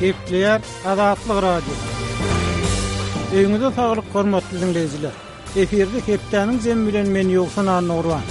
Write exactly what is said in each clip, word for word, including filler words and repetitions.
Gepleýär Azatlyk Radiosy. Öýüňize saglyk hormatly dinleýjiler. Efirde hepdäniň jemi bilen men Ýowşan Annurwan.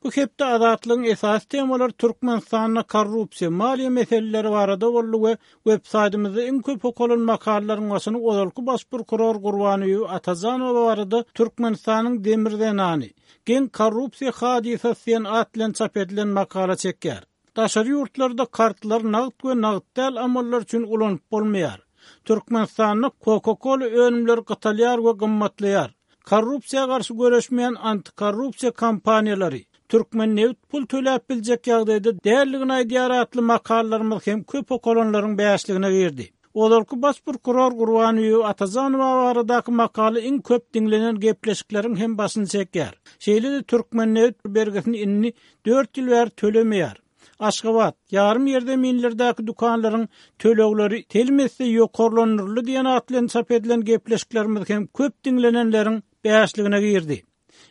Bu hepde Azatlygyň esasy temalary Türkmenistanda korrupsiýa, maliýe meseleleri barada boldy we web saýtymyzda iň köp okalan makalalaryň başyny ozalky baş prokuror Gurbanguly Atajanowa barada Türkmenistanyň demir zenany, geň korrupsiýa hadysasy diýen at bilen çap edilen makala çekýär. Daşary ýurtlarda kartlar nagt we nagt däl amallar üçin ulanyp bolmaýar. Türkmenistanda Coca-Cola önümleri gytalýar we gymmatlaýar. Korrupsiýa garşy göreşmeýän antikorrupsiýa kampaniýalary Türkmen neft pul töläp biljek ýagdaýda dälligini aýdýar atly makalalarymyz hem köp okalanlaryň bäşligine girdi. Ozalky baş prokuror Gurbanguly Atajanowa baradaky makala iň köp diňlenen gepleşikleriň hem başyny çekýär. Şeýle-de Türkmen neft bergisini indi dört ýyl bäri tölemeýär. Aşgabat, ýarym ýerzeminlerdäki dükanlaryň tölegleri telim etse ýokarlandyryldy diýen at bilen çap edilen gepleşiklerimiz hem köp diňlenenleriň bäşligine girdi.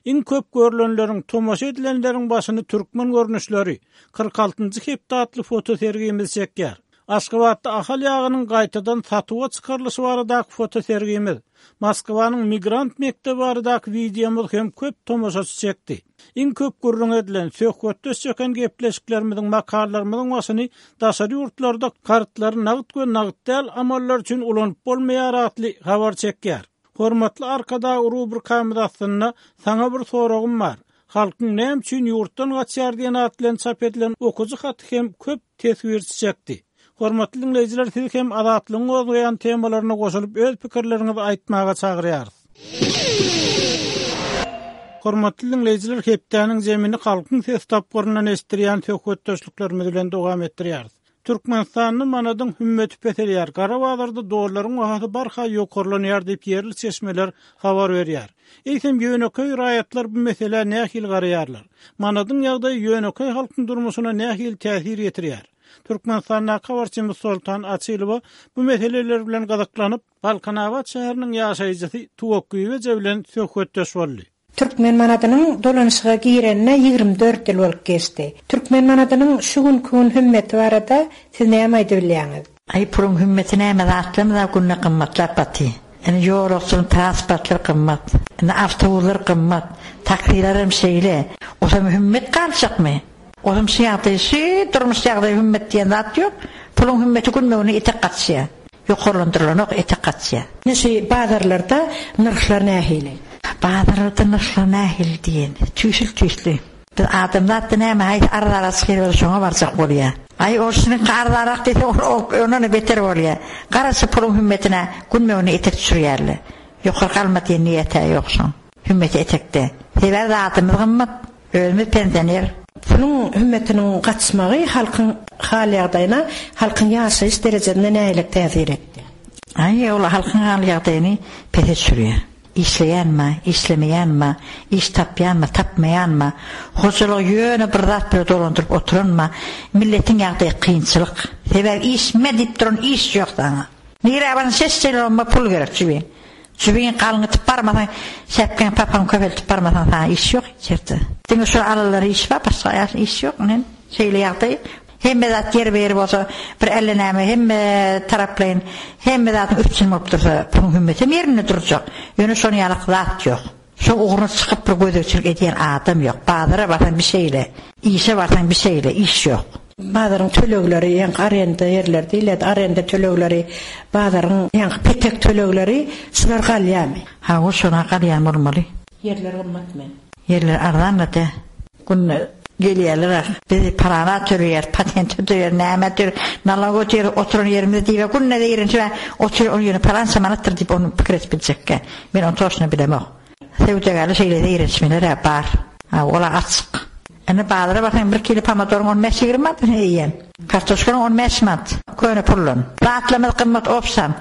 Iň köp görülenleriň, tomaşa edilenleriň başyny türkmen görnüşleri kyrk altynjy hepde atly fotosergimiz çekýär. Aşgabatda Ahal ýagynyň gaýtadan satuwa çykarylyşy baradaky fotosergimiz, Moskwanyň migrant mekdebi baradaky wideomyz hem köp tomaşaçy çekdi. Iň köp gürrüň edilen, söhbetdeş çeken gepleşiklerimiziň, makalalarymyzyň başyny daşary ýurtlarda kartlary nagt we nagt däl amallar üçin ulanyp bolmaýar atly habar çekýär. Hormatly Arkadag rubrikamyz aslynda saňa bir soragym bar. Halkyň näme üçin ýurtdan gaçýar diýen at bilen çap edilen okujy haty hem köp teswirçi çekdi. Hormatly dinleýjiler, siz hem Azatlygyň gozgaýan temalaryna goşulyp öz pikirleriňizi aýtmaga çagyrýarys. Hormatly dinleýjiler, hepdäniň zemini halkyň ses tapgyryndan eşitdirýän söhbetdeşliklerimiz bilen dowam etdirýäris. Türkmenistanda manadyň hümmeti peselýär. Gara bazarda dollaryň bahasy barha ýokarlanýar diýip ýerli çeşmeler habar berýär. Eýsem ýönekeý raýatlar bu meselä nähili garaýarlar? Manadyň ýagdaýy ýönekeý halkyň durmuşyna nähili täsir ýetirýär? Türkmenistandaky habarçymyz Soltan Açylowa bu meseleler bilen gyzyklanyp, Balkanabat şäheriniň ýaşaýjysy Tuwak Güweje bilen söhbetdeş boldy. Türkmen manadynyň dolanyşyga girenine ýigrimi dört ýyl bolup geçdi. Türkmen manadynyň şu günkü gün hümmeti barada siz näme aýdyp bilýäňiz? Aý puluň hümmeti näme zatlarymyz günde gymmatlap baty. Indi ýolagçynyň transportlar gymmat. Indi awtobuslar gymmat. Taksiler hem şeýle. Osam hümmet galjakmy? Osam şu ýagdaý, şu durmuş ýagdaýy hümmet diýen zat ýok. Puluň hümmeti günmegine etek gaçýar. Ýokarlandyrylanok etek gaçýar. Indi şu bazarlarda nyrhlar nähili? Bazarlarda nyrhlar nähili diýen? Tüýsül-tüýsli. Biz adamzat näme haýsy arzanrak çykyp şoňa barjak bolýar. Aý ol şunuň arzanrak diýse, ol ondan beter bolýar. Garaşy puluň hümmetine günmegine etek düşürýärler. Ýokary galma diýen niýeti ýok şoň. Hümmeti etekde. Sebäbi zatymyz gymmat, özümiz pensioner. Puluň hümmetiniň gaçmagy halkyň hal ýagdaýyna, halkyň ýaşaýyş derejesine nähili täsir etdi? Aý, ol halkyň hal ýagdaýyny pese düşürýär. Işleýänmi, işlemeýänmi, iş tapýanmy, tapmaýanmy, hojalygy ýöne bir zat bilen dolandyryp oturanmy, milletiň ýagdaýy kynçylyk. Sebäbi işme diýip duran iş ýok saňa. Nirä barsaň ses çeýle pul gerek jübiň. Jübiň galyňytyp barmasaň, şäpkäň papaň köpeltip barmasaň saňa iş ýok içerde. Diňe şu alalary iş bar, başga iş ýok. Nen şeýle ýagdaý. Hemme zat ýer beri bolsa, bir elle näme, hemme taraplaýyn, hemme zatyň üstüne bolup dursa, puluň hümmeti ýerinde durjak. Ýöne şonuň ýaly zat ýok. Şo ugruna çykyp bir gözegçilik edýän adam ýok. Bazara barsaň bir şeýle, işe barsaň bir şeýle, iş ýok. Bazaryň tölegleri, ýaňky arenda ýerler diýilýär, arenda tölegleri, bazaryň ýaňky petek tölegleri şular galýarmy? Ha, o şona galýan bolmaly. Ýerler gymmatmy? Ýerler arzanlady. Günde gelýärler. Biz parana töleýär, patent töleýär, näme töleýär, nalog ötýär, oturan ýerimizde diýip, günde ýerinçe otur, ol ýerine parança manatdyr diýip onu pikir edip biljekkä. Men onu toşuna bilemok. Söwdagärler şeýle ýerleşmeler bar. Ha, ola açyk. Indi bazara barsaň bir kilo pomodoryň on bäş ýigrimi manat eýýäm. Kartoşkanyň on bäş manat. Köne pullan. Zatlarymyz gymmat opsam.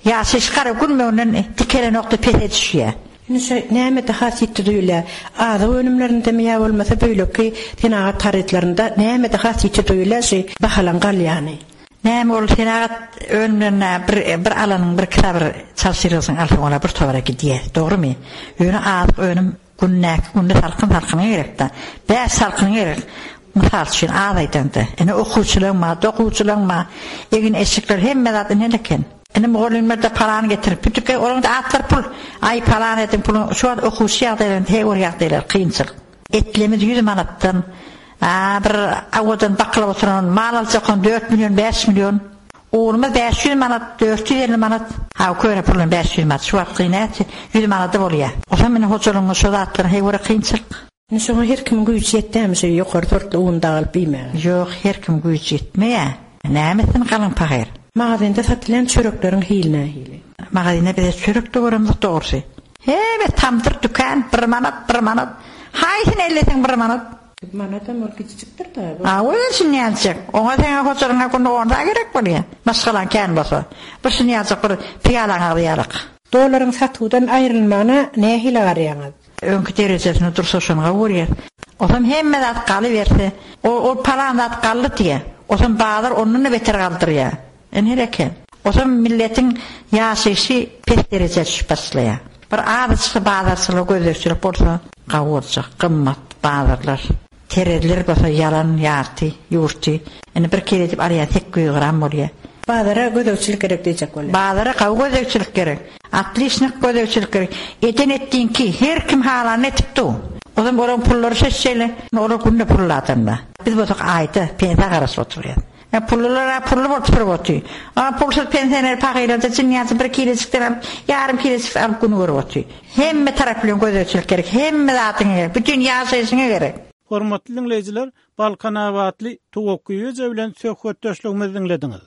Ýaşaýyş gara günmegden dikelenokda pese düşýär. Indi şu näme daha ýetdi duýulýar? Azyk önümlerinde mi ýa bolmasa beýleki senagat harytlarynda näme daha ýetdi duýulýar şu bahalan galýany? Näme ol senagat önümlerine bir, bir alanyň bir kitaby çalşyryrsyň alsaň ola bir towara gidýär. Dogrymy? Ýöne azyk önüm gündäki günde salkyn salkyna gerekdi. Bäş salkyn gerek. Mysal üçin az aýdanda, ine okuwçylaň bar, dokuwçylaň bar, egin eşikler hemme zat ine eken. Ine mugallymlar da paran getirip, bütüke olaryň da atlar pul. Aý paran edin pulu, şu wagt okuwçy ýagdaýlarynda he or ýagdaýlar kynçylyk. Etlemiz ýüz manatdan, a, bir awadan bakylyp oturan mal aljakon dört million, bäş million. Ugrumyz bäş ýüz manat, dört ýüz elli manat. Ha, köne pulun bäş ýüz manat, şu wagt näçe? ýüz manada bolýar. O zaman meni hojalygyň şu zatlaryň he göre kynçylyk. Indi şoňa her kimiň güýji ýetýärmi şu ýokary sortly un dagylyp iýmäge? Ýok, her kim güýji ýetmeýär. Nämesin galyň pahyr? Magazinde satylan çörekleriň hili nähili? Magazinde bize çörek de göremizok dogrusy. Hebe tamdyr dükan bir manat, bir manat. Haýsyn elleseň bir manat. Bir manat hem ol kiçijikdir da. Bu. A, o üçin näçek? Oňa seňe hojalygyňa günde on da gerek bolýar. Maşgalaň kän bolsa. Bir şuny ýazjak bir piýalaň agzy. Dolaryň satuwdan aýrylmagyna nähili garaýaňyz? Öňki derejesini dursa şoňa görýär. Otam hemme zat galyberse, o, o palan zat galdy diýe. Otam bazar ondan da beter galdyrýar. En eken. Otam milletin ýaşaýşy pes derejä düşüp başlaýar. Bir azajyk bazarçylyk gözegçilik bolsa, gawy boljak, gymmat bazarlar. Terezler bolsa ýalan ýarty, ýurty. Indi bir kere edip alýan sekiz ýüz gram bolýar. Bazara gözegçilik gerek diýjek bolýar. Bazara gawy gözegçilik gerek. Atlişnik gözegçilik gerek. Eden etdiňki her kim halany etip du. O zaman oran pullary şeşşeýle, olar günde pully adamlar. Biz bolsak aýda pensiýa garaşyp oturýar. E, pullular pully bolup turup otyr. A pulsuz pensioner pahylarda jynýasy bir kileçikden alyp, ýarym kileçik alyp günü görüp otyr. Hemme tarap bilen gözegçilik gerek, hemme zatyň gerek, bütün ýaşaýşyňa gerek. Hormatly dinleýjiler, Balkanabatly Tuwakgyýeje bilen söhbetdeşligimizi dinlediňiz.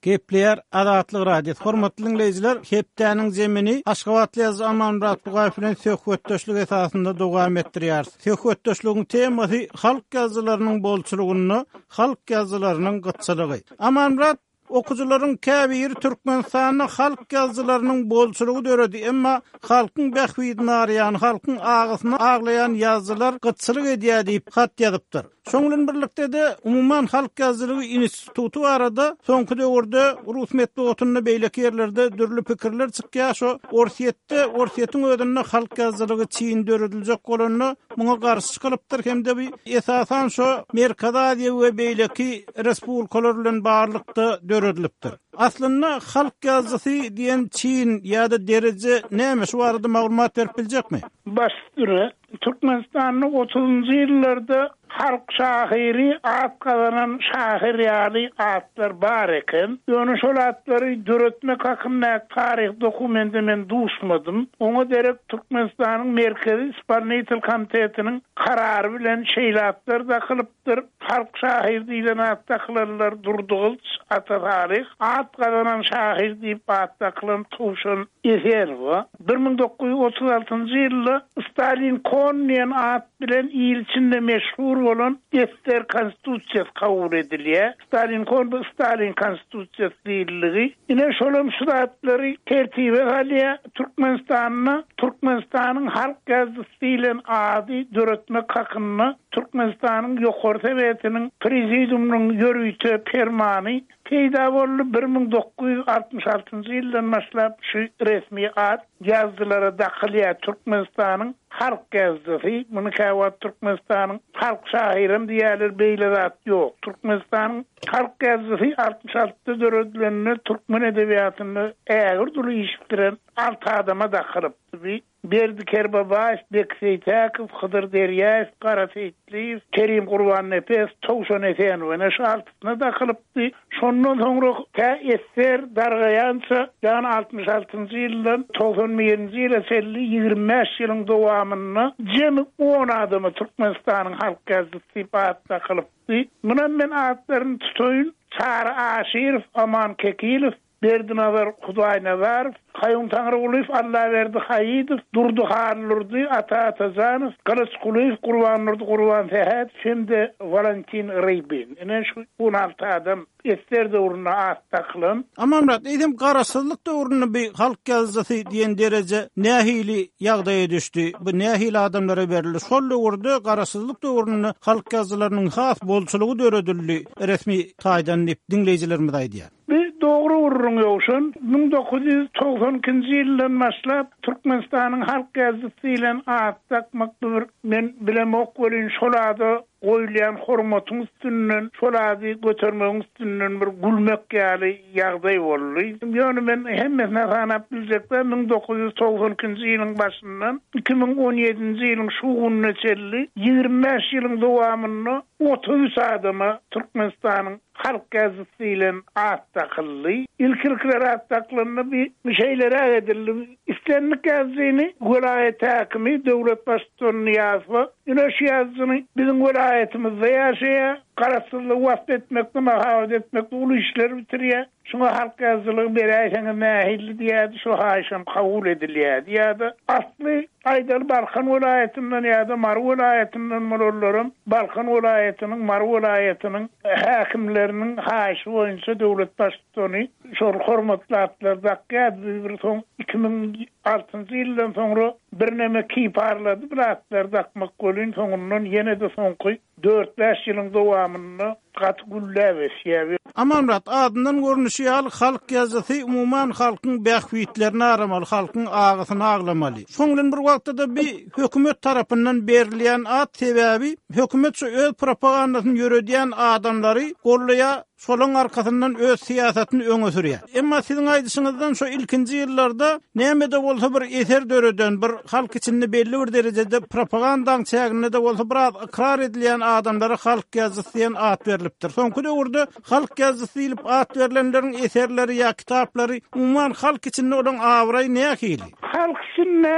Gepleýär Azatlyk Radiosy. Hormatly dinleýjiler, hepdäniň zemini Aşgabatly ýazyjy Amanmyrat Bugaýew bilen söhbetdeşlik esasynda dowam etdirýär. Söhbetdeşligiň temasy halk ýazyjylarynyň bolçulygynda halk ýazyjylarynyň gytçylygy. Amanmyrat, okujylaryň käbiri Türkmenistanda halk ýazyjylarynyň bolçulygy döredi, emma halkyň bähbidini araýan, halkyň agysyny aglaýan ýazyjylar gytçylyk edýär diýip hat ýazypdyr. Şoň bilen birlikde de umuman halk ýazyjylygy instituty barada soňky döwürde Rus metbugatynda beýleki ýerlerde dürli pikirler çykýar. Şo Orsýetde, Orsýetiň özünde halk ýazyjylygy çyn dörediljek bolanda muňa garşy çykylypdyr hem-de bir esasan şo Merkezi Aziýa we beýleki respublikalar bilen barlykda döredilipdir. Aslynda halk ýazyjysy diýen çyn ýa-da dereje näme, şu barada maglumat berip biljekmi? Baş üstüne Türkmenistanda otuzunjy ýyllarda halk şahyry at gazanan şahyr ýaly atlar bar eken. Ýöne şol atlary döretmek hakynda taryh dokumenti men duşmadym. Oňa derek Türkmenistanyň Merkezi Ispaniýa Komitetiniň karary bilen şeýle atlar dakylypdyr. Halk şahyr diýlen at dakylanlar Durdygylyç, Ata Salyh, at gazanan şahyr diýip at dakylan Towşan Esenowa. Bir müň dokuz ýüz otuz altynjy ýylda Stalin Kon diýen at bilen il içinde meşhur bolan Ester Konstitusiýasy kabul edilýär. Stalin Kon bu Stalin Konstitusiýasy diýildigi. Ine şolam şu zatlary tertibe salýar. Türkmenistanda Türkmenistanyň halk ýazyjysy diýlen ady döretmek hakynda Türkmenistanyň Ýokary Sowetiniň Prezidiumynyň ýörite permany peýda boldy. Bir müň dokuz ýüz altmyş altynjy ýyldan başlap şu resmi at ýazyjylara dakylýar. Türkmenistanyň halk ýazyjysy, muny käwagt Türkmenistanyň halk şahyram diýerler, beýle zat ýok. Türkmenistanyň halk ýazyjysy altmyş altyda döredilende türkmen edebiýatynda ägir duly iş bitiren alty adama dakylypdy. Berdi Kerbabaýew, Bek Seýtäkow, Hydyr Derýaýew, Gara Seýitliýew, Kerim Gurbannepes, Towşan Esenow ene şu altysyna dakylypdy. Şondan soňra tä Ester dargaýança, ýagny altmyş altynjy ýyldan togsan birinji ýyla çenli ýigrimi bäş ýylyň dowamynda jemi on adama Türkmenistanyň halk ýazyjysy diýip at dakylypdy. Munam men atlaryny tutaýyn. Çary Aşyrow, Aman Kekilow, Berdinazar Hudaýnazarow, Kaýum Taňrygulyýew, Allaberdi Haýydow, Durdy Hallurdy, Ata Atajanow, Gylyç Kulyýew, Gurbandurdy Gurbansähet hem-de Valentin Rybin. Ine şu on alty adam ester döwründe at dakylan. Amanmyrat, eýsem garaşsyzlyk döwründe bir halk ýazyjysy diýen dereje nähili ýagdaýa düşdi? Bu nähili adamlara berildi? Şol döwürde garaşsyzlyk döwründe halk ýazyjylarynyň has bolçulygy döredildi resmi taýdan diýip diňleýjilerimiz aýdýar. Bir dogry gürrüň ýowşan, müň dokuz ýüz togsan ikinji ýyldan başlap Türkmenistanyň halk ýazyjysy bilen at dakmak bir men bilemok welin şol ada goýulýan hormatyň üstünden, şol ady götermegiň üstünden bir gülmek ýaly ýagdaý boldy. Ýöne men hemmesine sanap biljekde müň dokuz ýüz togsan ikinji ýylyň başyndan iki müň on ýedinji ýylyň şu gününe çenli ýigrimi bäş ýylyň dowamynda otuz üç adama Türkmenistanyň halk ýazyjysy bilen at dakyldy. İlk-ilkler at dakylanda bir şeylere edildi. İstenlik ýazyjyny welaýat häkimi döwlet baştutany Nyýazowa, ine şu ýazyjyny biziň welaýatymyzda ýaşaýar, garaşsyzlygy wasp etmekde, mahabat etmekde uly işler bitirýär. Şuňa halk ýazyjylygy beräýseňiz nähili diýýärdi, şu haýyşam kabul edilýärdi. Ýa-da asly aýdaly Balkan welaýatyndan ýa-da Mary welaýatyndan bolanlaram Balkan welaýatynyň, Mary welaýatynyň häkimleriniň haýyşy boýunça döwlet baştutany şol hormatly atlar dakýardy. Bir soň iki müň altynjy ýyldan soňra birneme kiparlady bir atlar dakmak welin soňundan ýene-de soňky dört bäş ýylyň dowamynda gaty gülläp ösýär. Amanmyrat, adyndan görnüşi ýaly halk ýazyjysy umuman halkyň bähbitlerini aramaly, halkyň agysyny aglamaly. Şoň bilen bir wagtda-da bir hökümet tarapyndan berilýän at sebäbi hökümet şu öz propagandasyny ýöredýän adamlary gollaýar, şolaň arkasyndan öz syýasatyny öňe sürýär. Emma siziň aýdyşyňyzdan şu ilkinji ýyllarda näme-de bolsa bir eser döreden, bir halk içinde belli bir derejede propagandaň çäginde-de bolsa biraz ykrar edilýän adamlara halk ýazyjysy diýen at berilipdir. Soňky döwürde halk ýazyjysy diýlip at berlenleriň eserleri ýa kitaplary umuman halk içinde olaň abraýy nähili? Halk içinde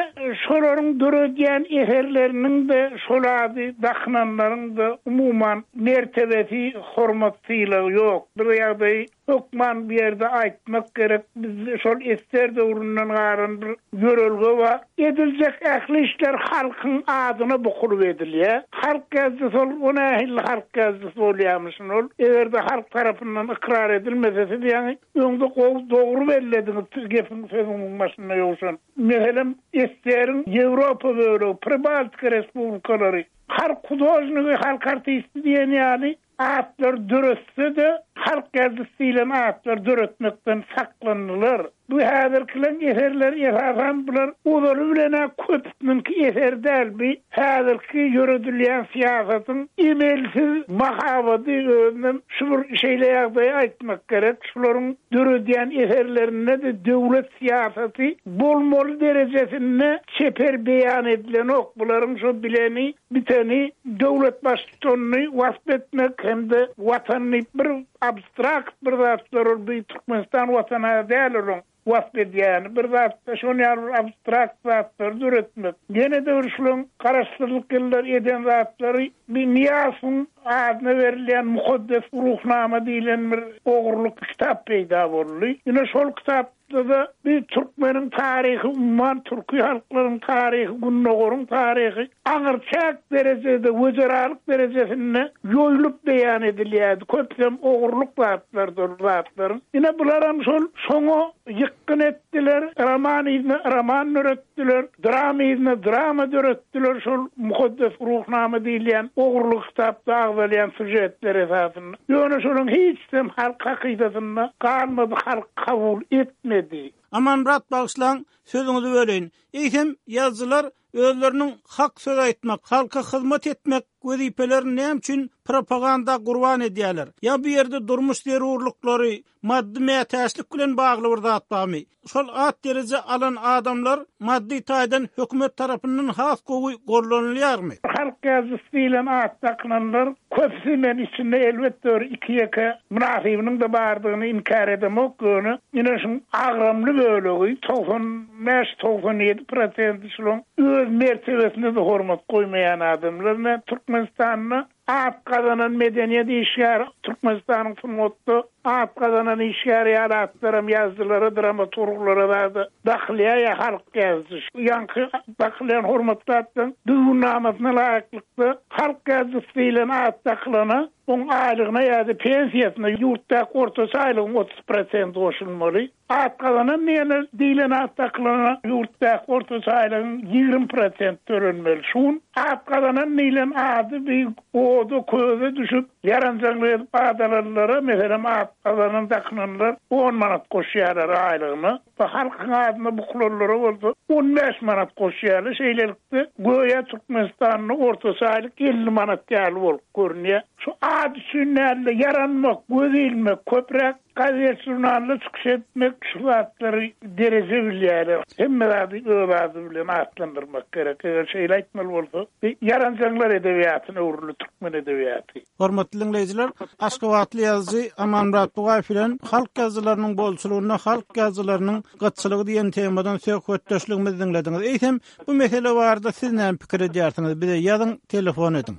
şolaryň döredýän eserleriniň de şol ady dakynanlaryň da umuman mertebesi, hormat sylagy ýok. Bir ýagdaýy hökman bir ýerde aýtmak gerek. Biz şol ester döwründen galan bir ýörelge bar. Ediljek ähli işler halkyň adyna bukulyp edilýär. Halk ýazyjysy ol, o nähili halk ýazyjysy bolýarmyşyn ol? Eger-de halk tarapyndan ykrar edilmese, siz ýaňy öňde gowy dogry bellediňiz gepiň sözüniň başynda ýowşan. Meselem, Esteriň Ýewropa bölegi, Pribaltika respublikalary, halk hudožnigi, halk artisti diýen ýaly atlar döretse-de, halk ýazyjysy diýlen atlar döretmekden saklandylar. Bu häzirkileň eserleri esasan bular ozaly bilen-ä köpüniňki eser däl. Bu häzirki ýöredilýän syýasatyň emelsiz mahabady özünem şu bir şeýle ýagdaýy aýtmak gerek. Şularyň döredýän eserlerinde-de döwlet syýasaty bolmaly derejesinde çeper beýan edilenok. Bularyň şu bileni, biteni döwlet baştutanyny wasp etmek hem-de watanyny bir abstrakt bir zatlar ol bir Türkmenistan watany däl olaň wasp edýäni bir zatda şon ýaly bir abstrakt zatlary döretmek. Ýene-de bir şularyň garaşsyzlyk ýyllary eden zatlary bir Nyýazowyň adyna berilýän mukaddes ruhnama diýlen bir ogurlyk kitap peýda boldy. Ýene şol kitapda da bir türkmeniň taryhy, umuman türki halklaryň taryhy, Gündogaryň taryhy aňyrçäk derejede, wezeralyk derejesinde ýoýlup beýan edilýärdi. Köpüsem ogurlyk zatlardyr zatlaryň. Ine bularam şol şoňa ýykgyn etdiler, roman yzyna roman döretdiler, drama yzyna drama döretdiler. Şol mukaddes ruhnama diýilýän ogurlyk kitapda agzalýan süžetler esasynda. Ýöne şonuň hiç hem halk hakydasynda galmady, halk kabul etmedi. Amanmyrat bagyşlaň, sözüňizi böleýin. Eýsem ýazyjylar özleriniň hak söz aýtmak, halka hyzmat etmek wezipelerini näme üçin propaganda gurban edýärler? Ýa bu ýerde durmuş zerurlyklary, maddy mätäçlik bilen bagly bir zat barmy? Şol at dereje alan adamlar maddy taýdan hökümet tarapyndan has gowy gollanylýarmy? Halk ýazyjysy diýlen at dakynanlar köpüsi men içinde elbetde bir iki ýeke mynasybynyň da bardygyny inkär edemok, ýöne ine şuň agramly bölegi togsan bäş, togsan ýedi prosenti şularyň öz mertebesine de hormat goýmaýan adamlar. Men Türkmenistanda At gazanan medeniýet işgäri Türkmenistanyň sungatda at gazanan işgäri ýaly atlaram ýazyjylara, dramaturglara zada dakylýar ýa halk ýazyjy. Ýaňky dakylýan hormatly atlaryň düzgünnamasyna laýyklykda halk ýazyjysy diýlen at dakylana oň aýlygyna ýa-da pensiýasyna ýurtdaky ortaça aýlygyň otuz prosenti goşulmaly. At gazanan diýene diýlen at dakylana ýurtdaky ortaça aýlygyň ýigrimi prosent tölenmeli. Şun at gazanan diýlen ady bir oda köze düşüp ýaranjaňlyk edip ad alanlara, meselem at gazanan dakylanlar on manat goşýarlar aýlygyna. Bu halkyň adyna bukulanlara bolsa on bäş manat goşýarlar. Şeýlelikde göýä Türkmenistanda ortaça aýlyk elli manat ýaly bolup görünýär. Şu ad üçin näle ýaranmak, göz ilmek, köpräk gazet žurnalda çykyş etmek şu zatlary dereje bilýärler. Hemme zady öz ady bilen atlandyrmak gerek. Eger şeýle aýtmaly bolsa, ýaranjaňlar edebiýatyna öwrüldi türkmen edebiýaty. Hormatly dinleýjiler, Aşgabatly ýazyjy Amanmyrat Bugaýew bilen halk ýazyjylarynyň bolçulygynda halk ýazyjylarynyň gytçylygy diýen temadan söhbetdeşligimizi dinlediňiz. Eýsem, bu mesele barada siz näme pikir edýärsiňiz? Bize ýazyň, telefon ediň.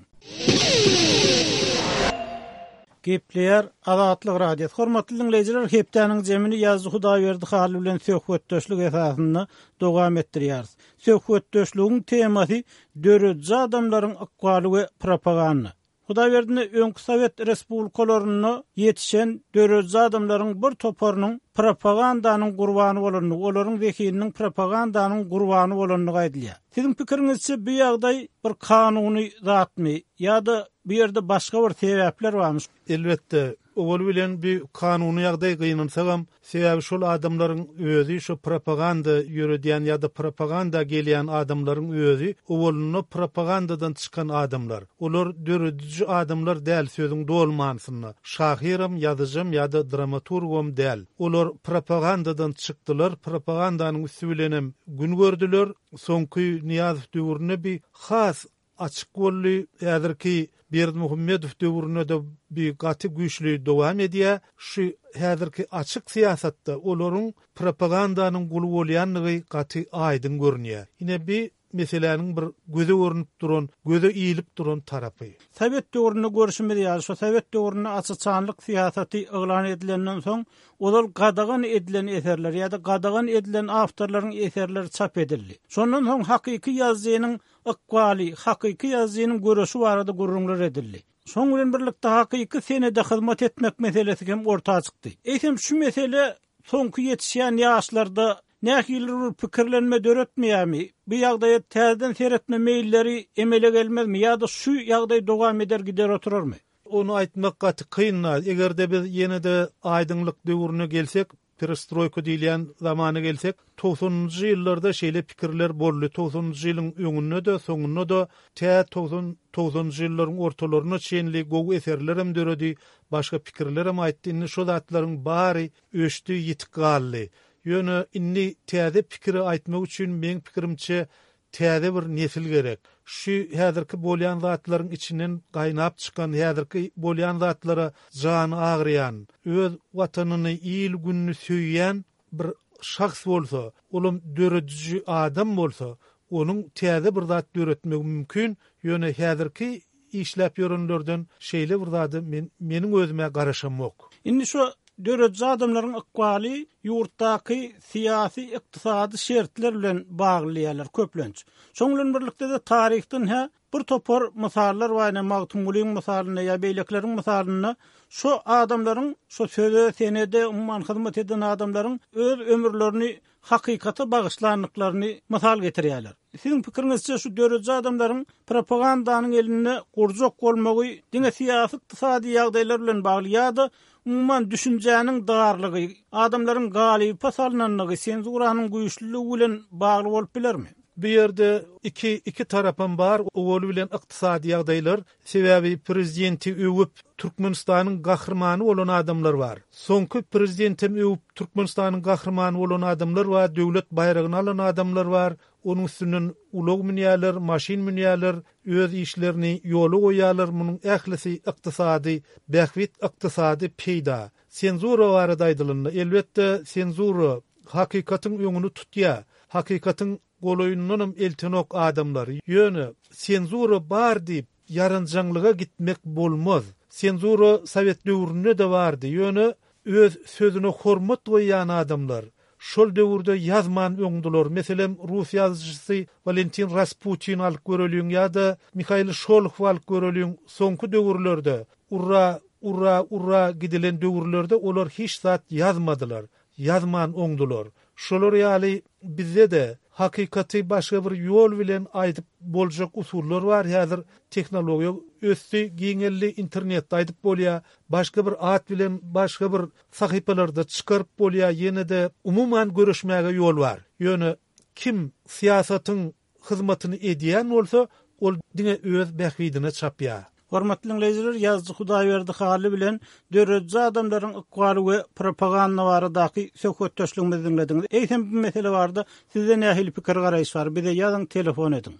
Gepleýär Azatlyk Radiosy. Hormatly dinleýjiler, hepdäniň jemini ýazyjy Hudaýberdi Hally bilen söhbetdeşlik esasynda dowam etdirýäris. Söhbetdeşligiň temasy döredici adamlaryň ykbaly we propaganda. Hudaýberdini öňki Sowet Respublikalarynda ýetişen döredici adamlaryň bir toparynyň propagandanyň gurbany bolandygy, olaryň zehininiň propagandanyň gurbany bolandygy aýdylýar. Siziň pikiriňizçe bu ýagdaý bir kanuny zatmy ýa-da bu ýerde başga bir sebäpler barmy? Elbetde, owal bilen bir kanuny ýagdaý gynynsagam, sebäbi şol adamlaryň özi şu propaganda ýöredýän ýa-da propaganda gelýän adamlaryň özi owalynda propagandadan çykan adamlar. Olar döredici adamlar däl sözüň dolmansynda. Şahyram, ýazyjam ýa-da dramaturgam däl. Olar propagandadan çykdylar, propagandanyň üstü bilenem gün gördüler. Soňky Niýazow döwründe bir has açyk boldy. Häzirki Berdimuhamedow döwründe de bir gaty güýçli dowam edýär. Şu häzirki açyk syýasatda olaryň propagandanyň guly bolýanlygy gaty aýdyň görünýär. Ine bir meseläniň bir göze görünüp duran, göze iýilip duran tarapy. Sowet döwründe görüşimiz ýaly, şu Sowet döwründe açyçanlyk syýasaty yglan edilenden soň, ozal gadagan edilen eserler ýa-da gadagan edilen awtorlaryň eserleri çap edildi. Şondan soň hakyky ýazyjynyň ykbaly, hakyky ýazyjynyň görüşi barada gürrüňler edildi. Şoň bilen birlikde hakyky senede hyzmat etmek meselesi hem orta çykdy. Eýsem şu mesele soňky ýetişýän ýaşlarda nähili bir pikirlenme döretmeýärmi? Bu ýagdaýa täzeden seretme meýilleri emele gelmezmi ýa-da şu ýagdaý dowam eder gider oturarmy? Onu aýtmak gaty kyn. Eger-de biz ýene-de aýdyňlyk döwrüne gelsek, perestroýka diýilýän zamana gelsek, togsanynjy ýyllarda şeýle pikirler boldy. Togsanynjy ýylyň öňünde-de, soňunda-da tä togsan, togsanynjy ýyllaryň ortalaryna çenli gowy eserler hem döredi, başga pikirler hem aýtdy. Indi şu zatlaryň bary öçdi, ýitip galdy. Ýöne indi täze pikiri aýtmak üçin meň pikirimçe täze bir nesil gerek. Şu häzirki bolýan zatlaryň içinden gaýnap çykan, häzirki bolýan zatlara jany agyrýan, öz watanyny, il gününi söýýän bir şahs bolsa, olam döredici adam bolsa, onuň täze bir zat döretmegi mümkin. Ýöne häzirki işläp ýörenlerden şeýle bir zady men, meniň özüme garaşamok. Indi şu döredici adamlaryň ykbaly ýurtdaky syýasy, ykdysady şertler bilen bagly diýýärler köplenç. Şoň bilen birlikde de taryhdan hä bir topar mysallar bar, ýa Magtymgulyň mysalynda ýa beýlekileriň mysalynda şu adamlaryň şu söze, senede umuman hyzmat eden adamlaryň öz ömürlerini hakykata bagyşlandyklaryny mysal getirýärler. Siziň pikiriňizçe şu döredici adamlaryň propagandanyň elinde gurjak bolmagy diňe syýasy, ykdysady ýagdaýlar bilen bagly ýa-da umuman düşünjäniň darlygy, adamlaryň galypa salynanlygy, senzuranyň güýçlüligi bilen bagly bolup bilermi? Bu ýerde iki, iki tarapam bar, owaly bilen ykdysady ýagdaýlar, sebäbi prezidenti öwüp Türkmenistanyň gahrymany bolan adamlar bar. Soňky prezidentem öwüp Türkmenistanyň gahrymany bolan adamlar bar, döwlet baýragyny alan adamlar bar. Onuň üstünden ulag münýärler, maşyn münýärler, öz işlerini ýola goýýarlar. Munuň ählisi ykdysady bähbit, ykdysady peýda. Senzura barada aýdylanda, elbetde senzura hakykatyň öňüni tutýar. Hakykatyň golaýyndanam eltenok adamlar. Ýöne senzura bar diýip Ýaranjaňlyga gitmek bolmaz. Senzura sowet döwründe-de bardy, ýöne öz sözüne hormat goýýan adamlar şol döwürde ýazman öňdüler. Meselem, rus ýazyjysy Walentin Rasputin alyp göreliň ýa-da Mihail Şolohow alyp göreliň, soňky döwürlerde urra, urra, urra gidilen döwürlerde olar hiç zat ýazmadylar, ýazman oňdular. Şolar ýaly bizde-de hakykaty başga bir ýol bilen aýdyp boljak usullar bar. Häzir tehnologiýa ösdi, giňeldi, internetde aýdyp bolýar, başga bir at bilen başga bir sahypalarda çykaryp bolýar, ýene-de umuman görüşmäge ýol bar. Ýöne kim syýasatyň hyzmatyny edýän bolsa, ol diňe öz bähbidine çapýar. Hormatly dinleýjiler, ýazyjy Hudaýberdi Hally bilen dörediji adamlaryň ykbaly we propaganda baradaky söhbetdeşligimizi diňlediňiz. Eýsem bu mesele barada sizde nähili pikir garaýyş bar? Bize ýazyň, telefon ediň.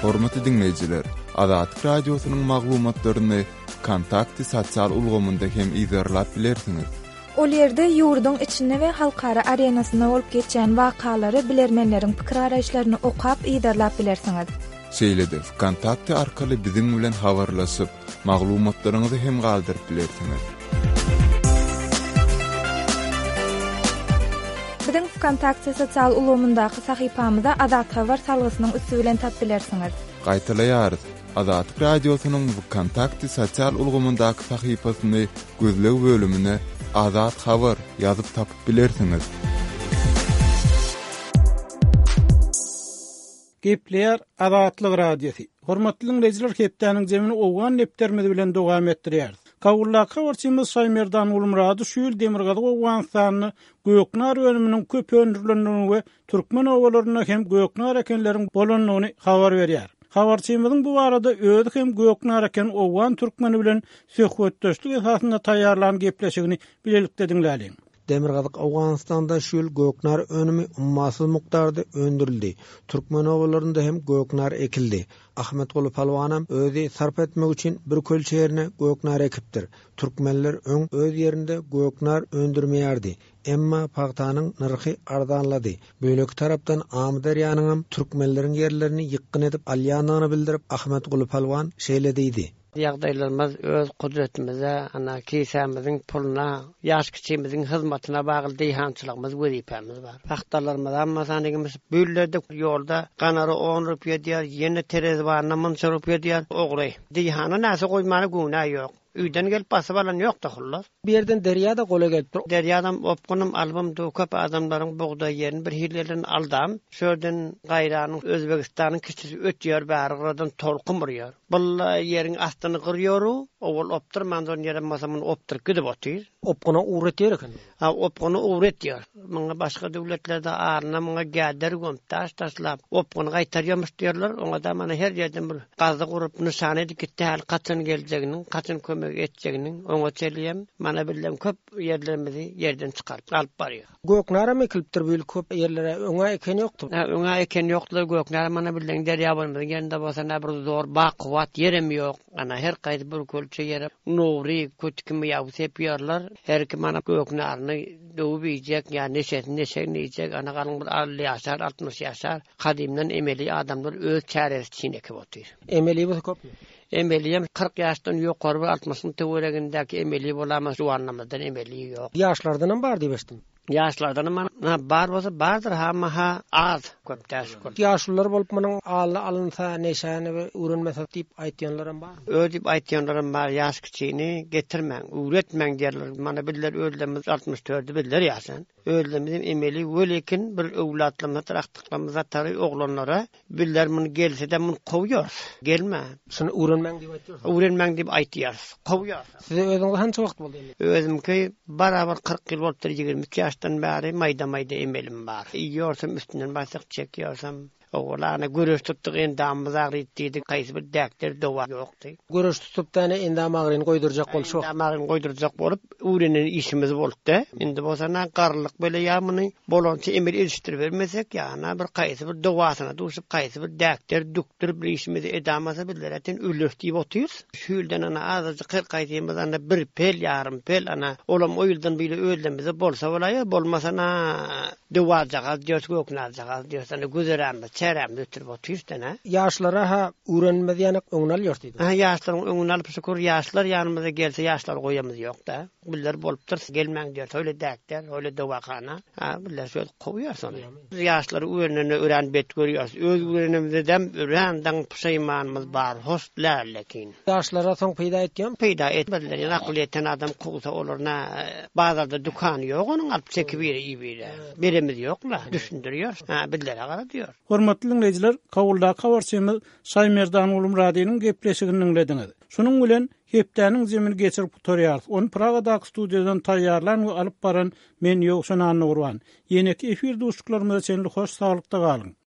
Hormatly dinleýjiler, Azatlyk radiosynyň maglumatlaryny Kontakty sosial ulgamynda hem izerlap bilersiňiz. Ol ýerde ýurduň içinde we halkara arenasynda bolup geçýän wakalary bilermenleriň pikir garaýyşlaryny okap izerlap bilersiňiz. Şeýle-de Kontakty arkaly biziň bilen habarlaşyp, maglumatlaryňyzy hem galdyryp bilersiňiz. Biziň Vkontakte sosial ulgamyndaky sahypamyza Azat Habar salgysynyň üsti bilen tap bilersiňiz. Gaýtalaýarys. Azatlyk radiosynyň Vkontakte sosial ulgamyndaky sahypasyny gözleg bölümine Azat Habar ýazyp tapyp bilersiňiz. Gepleýär Azatlyk Radiosy. Hormatly dinleýjiler, hepdäniň zemini Owgan depderimiz bilen dowam etdirýäris. Kabuldaky habarçymyz Şaýmerdan Gulmurady şu ýyl Demirgazyk Owganystanda göknar önüminiň köp öndürilendigini we türkmen obalarynda hem göknar ekenleriň bolandygyny habar berýär. Habarçymyzyň bu barada özi hem göknar eken Owgan türkmeni bilen söhbetdeşlik esasynda taýýarlan gepleşigini bilelikde diňläliň. Demirgazyk Owganystanda şu ýyl göknar önümi ummasyz mukdarda öndürildi. Türkmen obalarynda hem göknar ekildi. Ahmetguly Palwanam özi sarp etmek üçin bir kölçe ýerine göknar ekipdir. Türkmenler öň öz ýerinde göknar öndürmeýärdi. Emma pagtanyň nyrhy arzanlady. Böleki tarapdan Amyderýanyňam türkmenleriň ýerlerini ýykgyn edip alýandygyny bildirip Ahmetguly Palwan şeýle diýdi. Ýagdaýlarymyz öz kudretimize, ana kisämiziň puluna, ýaş kiçimiziň hyzmatyna bagly diýhançylygymyz wezipämiz bar. Pagtalarymyz amma sanygymyz büllerde ýolda ganary on rupiýa diýer, ýene terezibanyna munça rupiýa diýer, ogry. Diýhana näse goýmana günä ýok. Üýden gelip basyp alan ýok da hullas. Bir yerden derýa da gola gelip dur. Derýadan opgunum album du köp adamlaryň bugdaý ýerini bir hillerden aldam. Şörden gaýranyň Özbegistanyň kiçisi ötýär, bäri gyradan tolkun burýar. Bul ýeriň astyny gyrýoru, owal opdurman zon ýere bolsa muny opduryp gidip otyr. Opguna uğretýär eken. Ha, opguna uğretýär. Muňa başga döwletlerde aryna muňa gäder gömüp taş taşlap, opguny gaýtarýarmyş diýerler. Oňa da mana her ýerden bir gazy gurup nyşan edip gitdi, hal kaçan geljeginiň, kaçan kömek etjeginiň oňa çelýem. Mana bilen köp ýerlerimizi ýerden çykaryp alyp barýar. Göknara mekilipdir bu ýyl köp ýerlere öňa eken ýokdy. Ha, öňa eken ýokdy. Göknara mana bilen derýa bolmaz. Ýerinde bolsa näme bir zor bakuwat ýerem ýok. Ana her gaýdy bir kölçe ýere nowri kötükimi ýaw sepýärler. Her kim ana göknaryny döwüp iýjek, ýa neşesini neşegini iýjek. Ana galyň bir elli ýaşar, altmyş ýaşar. Kadymdan emeli adamlar öz çäresi üçin ekip otyr. Emeli bolsa köpmi? Emeliyem kyrk ýaşdan ýokary bir altmyşyň töweregindäki emeli bolama juwanlamazdan emeli ýok. Ýaşlardan hem bar diýip eşitdim. Ýaşlardan hem ha, bar bolsa bardyr, ha, ha, az köp däş köp. Ýaşlylar bolup munuň alny alynsa, neşäni we öwrenmese diýip aýtýanlar hem bar. Ö diýip aýtýanlar hem bar, ýaş kiçini getirmäň, öwretmäň diýerler. Mana bizler özlerimiz altmyş dördü bizler ýaşan. Özlerimiz emeli welekin bir öwlatlamyz, akdyklamyz atary oglanlara bizler muny gelse de muny kowýarys. Gelme. Şuny öwrenmäň diýip aýtýarys. Öwrenmäň diýip aýtýarys. Kowýarys. Size özüňiz hança wagt boldy emeli? Özümki barabar kyrk ýyl bolupdyr, ýigrimi üç ýaşdan bäri maýda-maýda emelim bar. Iýorsam üstünden bassak çekiyorsam, Oğlana göreş tutduk, endamymyz agryp diýdik, haýsy bir däkler dowa ýokdy. Göreş tutup däne endam agryny goýdurjak bolup şu. Endam agryny goýdurjak bolup, öwrenen işimiz bolupdy. Indi bolsa na garlyk bele ýa muny bolança emel edişdirip bermesek, ýa bir haýsy bir dowasyna duşup, haýsy bir däkler dükdürip bir işimizi edamasa bizler äten ölür diýip otyrys. Şu ýyldan ana azajyk kyrk aýdymyz ana bir pel, ýarym pel ana olam o ýyldan bile özlemizde bolsa bolaýar, bolmasa na dowajagaz diýers, göknarjagaz diýers, ana güzeranymyz çärämizi ötürip otyrys-da, nä? Ýaşlara ha öwrenmez ýanak öňüni alýar diýdi. Ha, ýaşlaryň öňüni alyp şükür, ýaşlar ýanymyza gelse ýaşlar goýamyz ýok-da. Biller bolupdyr, gelmäň diýer, öyle däkler, öyle dowakana. Ha, biller şöyle kowýar sony. Biz ýaşlary öwrenene örän bet görýäris. Öz öwrenimizden örän daň puşaymanymyz bar, hoş lälekin. Ýaşlara soň peýda etýän? Peýda etmediler. Ýa akyl ýeten adam kowsa olar na bazarda dükany ýok, onuň alyp çekip biri iýibire. Beremiz ýok-la, düşündiriyor. Ha, billere gara diýyor. Hormatly dinleýjiler, Kabuldaky habarçymyz Şaýmerdan Gulmuradynyň gepleşigini dinlediňiz. Şunuň bilen hepdäniň zemini geçirip gutarýarys. Ony Pragadaky studiýadan taýýarlan we alyp baran men Ýowşan Annagurban. Ýeneki efir duşuşyklarymyza çenli hoş saglykda galyň.